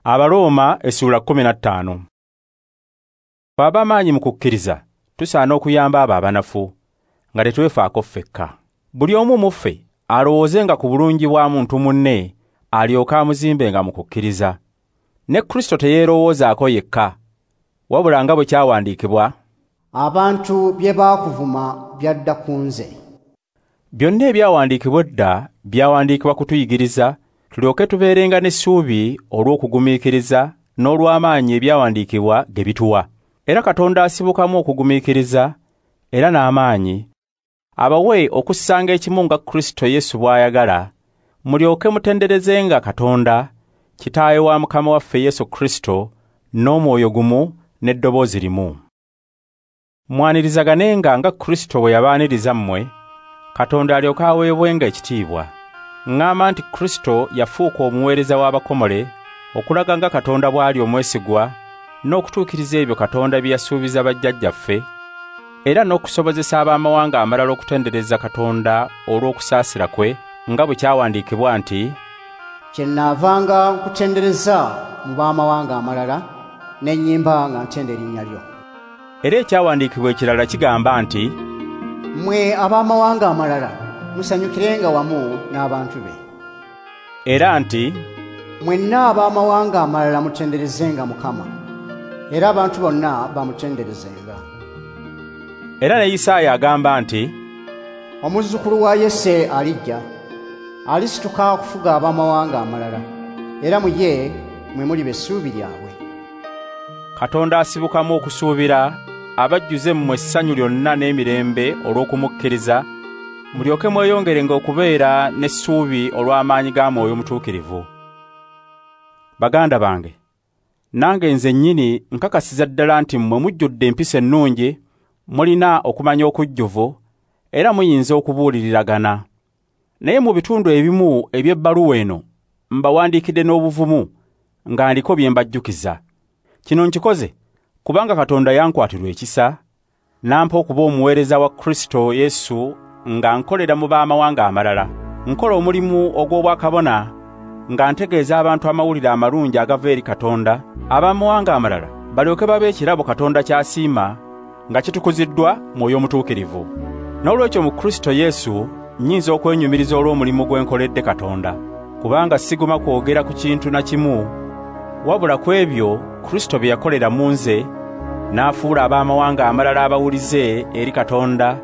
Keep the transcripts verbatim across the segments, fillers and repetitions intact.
Abaroma essuula kkumi na ttaano. Ab'amaanyi mu kukkiriza tusaana okuyamba abo abanafu nga tetwefaako ffekka. Buli omu mu ffe alowoozenga ku bulungi bwa muntu munne alyoke amuzimbenga mu kukkiriza. Ne Kristo teyeerowoozaako yekka, wabula nga bwe kyawandiikibwa, abantu bye baakuvuma byadda ku nze. Byonna ebyawandiikibwa edda byawandiikibwa kutuyigiriza tulyoke tubeerenga n'essuubi olw'okugumiikiriza n'olw'amaanyi ebyawandiikibwa ge bituwa. Era Katonda asibukamu okugumiikiriza era n'amaanyi abawe okussanga ekimu nga Kristo Yesu bw'ayagala, mulyoke mutenderezenga Katonda Kitaawe wa Mukama waffe Yesu Kristo n'omwoyo gumu n'eddoboozi limu. Mwanirizaganenga nga Kristo bwe yabaaniriza mmwe, Katonda alyoke aweebwenga ekitiibwa. Ŋŋamba nti Kristo yafuuka omuweereza w'abakomole okulaga nga Katonda bw'ali omwesigwa n'okutuukiriza ebyo Katonda bye yasuubiza bajjajjaffe, era n'okusobozesa ab'amawanga amalala okutendereza Katonda olw'okusaasira kwe, nga bwe kyawandiikibwa nti, kyennaavanga nkutendereza mu b'amawanga amalala n'ennyimba nga ntenda erinnya lyo. Era ekyawandiikibwa ekirala kigamba nti, mmwe ab'amawanga amalala musanyukirenga wamu n'abantu be. Era nti, mwenna ab'amawanga amalala mutenderezenga Mukama, era abantu bonna bamutenderezenga. Era ne Isaaya agamba nti, omuzzukulu wa Yese alijja, alisituka okufuga ab'amawanga amalala, era mu ye mwe muliba essuubi lyabwe. Katonda asibukamu okusuubira abajjuze mmwe essanyu lyonna n'emirembe olw'okumukkiriza, mulyoke mweyongerenga okubeera n'essuubi olw'amaanyi ga Mwoyo Mutuukirivu. Baganda bange, nange nze nnyini nkakasiza ddala nti mmwe mujjudde empisa ennungi, mulina okumanya okujjuvu, era muyinza okubuuliriragana. Naye mu bitundu ebimu eby'ebbaluwa eno mbawandiikidde n'obuvumu nga ndiko bye mbajjukiza. Kino nkikoze kubanga Katonda yankwatirwa ekisa n'ampa okuba omuweereza wa Kristo Yesu nga nkolera mu b'amawanga amalala. Nkola omulimu ogw'obwakabona nga ntegeeza abantu amawulire amalungi agava eri Katonda, ab'amawanga amalala balyoke babe ekirabo Katonda ky'asiima nga kitukuziddwa Mwoyo Mutuukirivu. N'olwekyo mu Kristo Yesu nnyinza okwenyumiriza olw'omulimu gwe nkoledde Katonda, kubanga siguma kwogera ku kintu na kimu wabula ku ebyo Kristo bye yakolera mu nze, n'afuula ab'amawanga amalala abawulize eri Katonda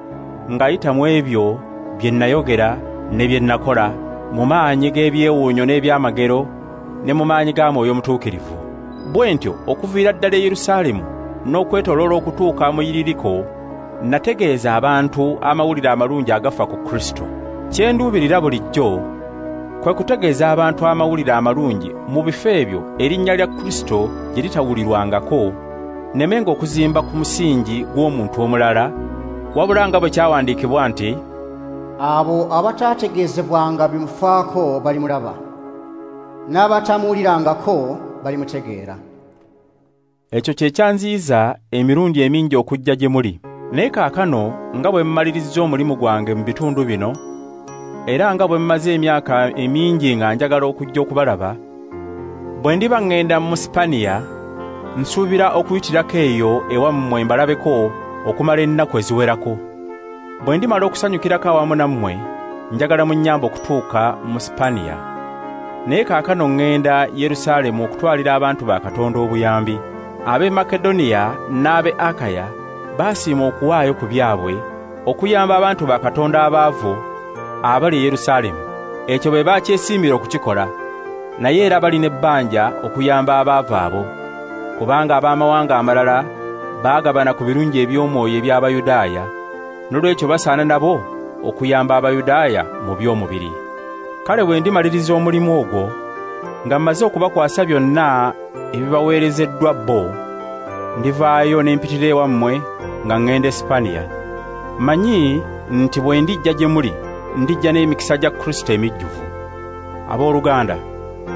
ng'ayita mu ebyo bye nayogera ne bye nakola mu maanyi g'ebyewuunyo n'ebyamagero ne mu maanyi ga Mwoyo Mutuukirivu. Bwe ntyo okuviira ddala e Yerusaalemu n'okwetooloola okutuuka mu Iririko, nategeeza abantu amawulire amalungi agafa ku Kristo. Kye nduubirira bulijjo kwe kutegeeza abantu amawulire amalungi mu bifo ebyo erinnya lya Kristo gye litawulirwangako, nemenga okuzimba ku musingi gw'omuntu omulala, wabula nga bwe kyawandiikibwa nti, abo abataategeezebwanga bimufaako balimulaba, n'abatamuwulirangako balimutegeera. Ekyo kye kyanziyiza emirundi emingi okujja gye muli. Naye kaakano nga bwe mmalirizza omulimu gwange mu bitundu bino, era nga bwe mmaze emyaka emingi nga njagala okujja okubalaba, bwe ndiba ŋŋenda mu Sipaniya, nsuubira okuyitirako eyo ewammwe mbalabeko okumala ennaku eziwerako. Bwe ndimala okusanyukirako awamu nammwe, njagala munnyambe okutuuka mu Sipaniya. Naye kaakano ŋŋenda Yerusaalemu okutwalira abantu ba Katonda obuyambi. Ab'e Makedoniya n'ab'e Akaya baasiima okuwaayo ku byabwe okuyamba abantu ba Katonda abaavu abali e Yerusaalemu. Ekyo bwe bakyesiimira okukikola, naye era balina ebbanja okuyamba abaavu abo, kubanga ab'amawanga amalala baagabana ku birungi eby'omwoyo eby'Abayudaaya, n'olwekyo basaana nabo okuyamba Abayudaaya mu by'omubiri. Kale bwe ndimaliriza omulimu ogwo, nga mmaze okubakwasa byonna ebibaweerezeddwa bo, ndivaayo ne mpitira ewammwe nga ŋŋenda e Sipaniya. Mmanyi nti bwe ndijja gye muli, ndijja n'emikisa gya Kristo emijjuvu. Abooluganda,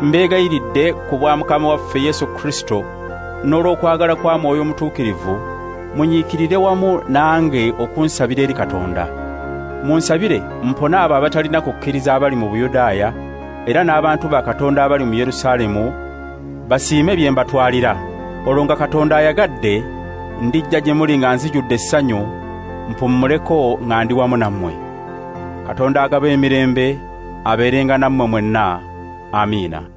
mbeegayiridde ku bwa Mukama waffe Yesu Kristo n'olw'okwagala kwa Mwoyo Mutuukirivu, munyiikirire wamu nange okunsabira eri Katonda. Munsabire mpone abo abatalina kukkiriza abali mu Buyudaaya, era n'abantu ba Katonda abali mu Yerusaalemu basiime bye mbatwalira. Olwo nga Katonda ayagadde, ndijja gye muli nga nzijudde essanyu, mpummuleko nga ndi wamu nammwe. Katonda agaba emirembe abeerenga nammwe mwenna. Amiina.